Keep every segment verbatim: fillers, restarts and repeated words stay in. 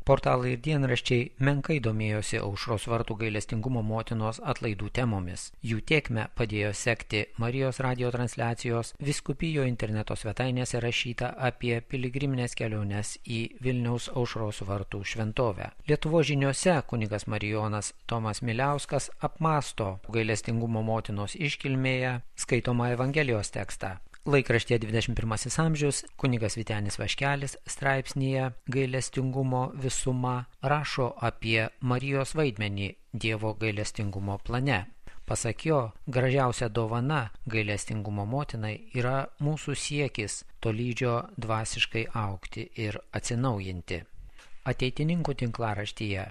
Portalai ir dienraščiai menkai domėjosi Aušros vartų gailestingumo motinos atlaidų temomis. Jų tėkmę padėjo sekti Marijos radijo transliacijos, vyskupijo interneto svetainėse rašyta apie piligriminės keliones į Vilniaus Aušros vartų šventovę. Lietuvos žiniose kunigas Marijonas Tomas Miliauskas apmąsto gailestingumo motinos iškilmėje skaitomą Evangelijos tekstą. Laikraštyje dvidešimt pirmasis amžius kunigas Vytenis Vaškelis straipsnyje Gailestingumo visuma rašo apie Marijos vaidmenį Dievo gailestingumo plane. Pasak jo, gražiausia dovana gailestingumo motinai yra mūsų siekis tolydžio dvasiškai augti ir atsinaujinti. Ateitininkų tinklaraštyje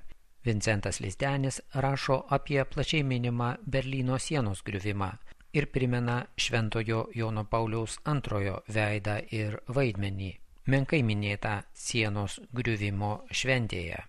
Vincentas Lizdenis rašo apie plačiai minimą Berlyno sienos griuvimą ir primena Šventojo Jono Pauliaus antrojo veidą ir vaidmenį, menkai minėtą sienos griuvimo šventėje.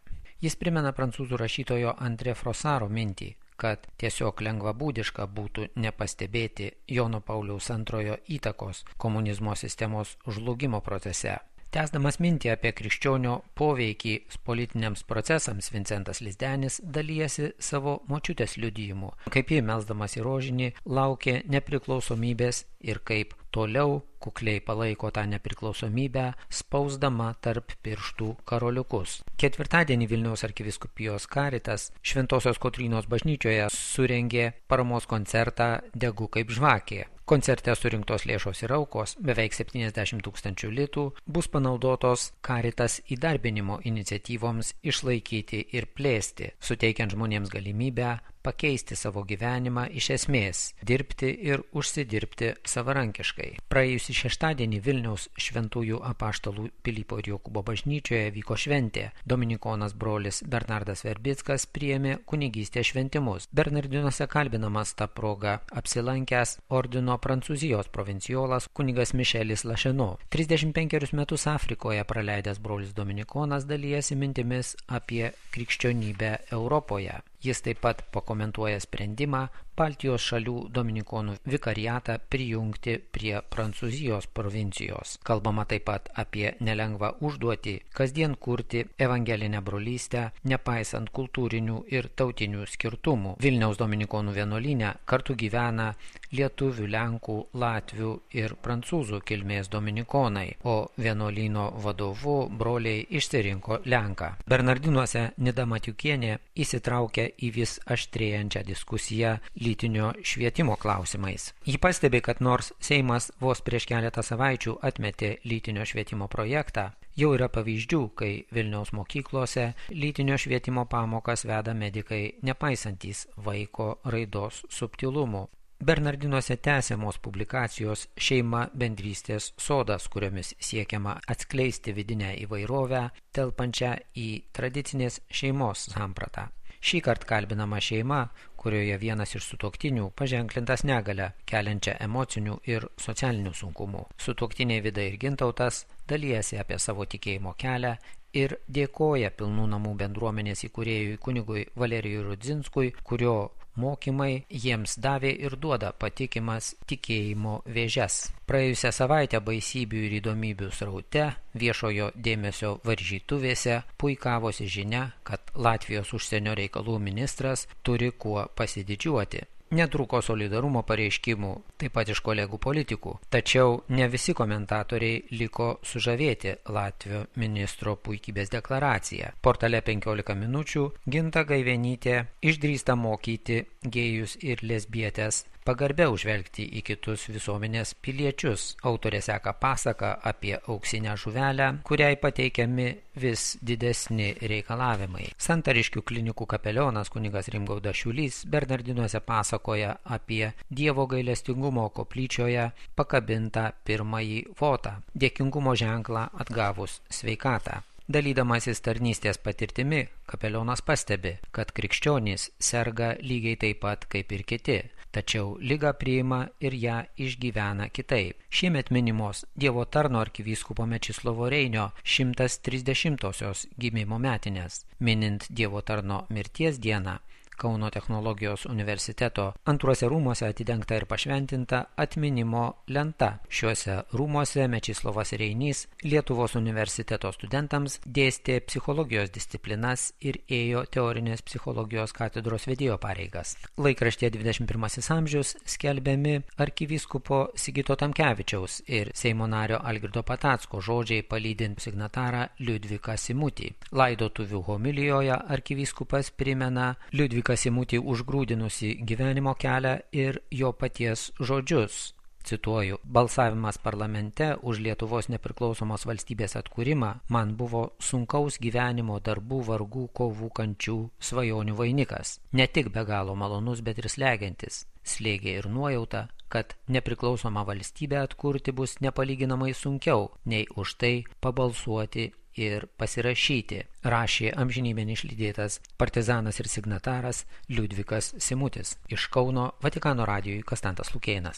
Jis primena prancūzų rašytojo André Frossaro mintį, kad tiesiog lengvabūdiška būtų nepastebėti Jono Pauliaus antrojo įtakos komunizmo sistemos žlugimo procese. Tęsdamas mintį apie krikščionio poveikį politiniams procesams, Vincentas Lizdenis dalijasi savo močiutės liudijimu, kaip ji melsdamas į rožinį laukė nepriklausomybės ir kaip toliau kukliai palaiko tą nepriklausomybę, spausdama tarp pirštų karoliukus. Ketvirtadienį Vilniaus arkivyskupijos Karitas Šventosios Kotrynos bažnyčioje surengė paramos koncertą Degu kaip žvakė. Koncerte surinktos lėšos ir aukos, beveik septyniasdešimt tūkstančių litų, bus panaudotos Karitas įdarbinimo iniciatyvoms išlaikyti ir plėsti, suteikiant žmonėms galimybę pakeisti savo gyvenimą iš esmės, dirbti ir užsidirbti savarankiškai. Praėjusį šeštadienį Vilniaus šventųjų apaštalų Pilypo ir Jokūbo bažnyčioje vyko šventė. Dominikonas brolis Bernardas Verbickas priėmė kunigystės šventimus. Bernardinuose kalbinamas tą progą apsilankęs ordino Prancūzijos provinciolas kunigas Mišelis Lašeno. trisdešimt penkerius metus Afrikoje praleidęs brolis Dominikonas dalijasi mintimis apie krikščionybę Europoje. Jis taip pat pakomentuoja sprendimą Baltijos šalių dominikonų vikariatą prijungti prie Prancūzijos provincijos. Kalbama taip pat apie nelengvą užduotį kasdien kurti evangelinę brolystę, nepaisant kultūrinių ir tautinių skirtumų. Vilniaus dominikonų vienuolyne kartu gyvena lietuvių, lenkų, latvių ir prancūzų kilmės dominikonai, o vienuolyno vadovu broliai išsirinko lenką. Bernardinuose Nida Matiukienė įsitraukė į vis aštrėjančią diskusiją lytinio švietimo klausimais. Ji pastebi, kad nors Seimas vos prieš keletą savaičių atmetė lytinio švietimo projektą, jau yra pavyzdžių, kai Vilniaus mokyklose lytinio švietimo pamokas veda medikai nepaisantys vaiko raidos subtilumų. Bernardinuose tęsiamos publikacijos Šeima bendrystės sodas, kuriomis siekiama atskleisti vidinę įvairovę, telpančią į tradicinės šeimos sampratą. Šįkart kalbinama šeima, kurioje vienas iš sutuoktinių paženklintas negalią, keliančią emocinių ir socialinių sunkumų. Sutuoktiniai Vida ir Gintautas dalijasi apie savo tikėjimo kelią ir dėkoja Pilnų namų bendruomenės įkūrėjui kunigui Valerijui Rudzinskui, kurio mokymai jiems davė ir duoda patikimas tikėjimo vėžes. Praėjusią savaitę baisybių ir įdomybių sraute viešojo dėmesio varžytuvėse puikavosi žinia, kad Latvijos užsienio reikalų ministras turi kuo pasididžiuoti. Netruko solidarumo pareiškimų, taip pat iš kolegų politikų. Tačiau ne visi komentatoriai liko sužavėti Latvijos ministro puikybės deklaraciją. Portale penkiolika minučių Ginta Gaivenytė išdrįsta mokyti gėjus ir lesbietės pagarbiau žvelgti į kitus visuomenės piliečius. Autorė seka pasaką apie auksinę žuvelę, kuriai pateikiami vis didesni reikalavimai. Santariškių klinikų kapelionas kunigas Rimgaudas Šiulys Bernardinuose pasakoja apie Dievo gailestingumo koplyčioje pakabintą pirmąjį votą, dėkingumo ženklą atgavus sveikatą. Dalydamasis tarnystės patirtimi, kapelionas pastebi, kad krikščionys serga lygiai taip pat kaip ir kiti, tačiau ligą priima ir ją išgyvena kitaip. Šiemet minimos Dievo tarno arkivyskupo Mečislovo Reinio šimtas trisdešimtosios gimimo metinės. Minint Dievo tarno mirties dieną, Kauno technologijos universiteto antruose rūmuose atidengta ir pašventinta atminimo lenta. Šiuose rūmuose Mečislovas Reinys Lietuvos universiteto studentams dėstė psichologijos disciplinas ir ėjo teorinės psichologijos katedros vedėjo pareigas. Laikraštyje dvidešimt pirmasis amžius skelbiami arkivyskupo Sigito Tamkevičiaus ir Seimo nario Algirdo Patacko žodžiai palydint signatarą Liudviką Simutį. Laidotuvių homilijoje arkivyskupas primena Liudviką Simutį užgrūdinusi gyvenimo kelią ir jo paties žodžius. Cituoju, balsavimas parlamente už Lietuvos nepriklausomos valstybės atkūrimą man buvo sunkaus gyvenimo darbų, vargų, kovų, kančių, svajonių vainikas. Ne tik be galo malonus, bet ir slegiantis. Slėgė ir nuojauta, kad nepriklausomą valstybę atkurti bus nepalyginamai sunkiau, nei už tai pabalsuoti ir pasirašyti, rašė amžinybėn išlydėtas partizanas ir signataras Liudvikas Simutis. Iš Kauno Vatikano radijui Konstantas Lukėnas.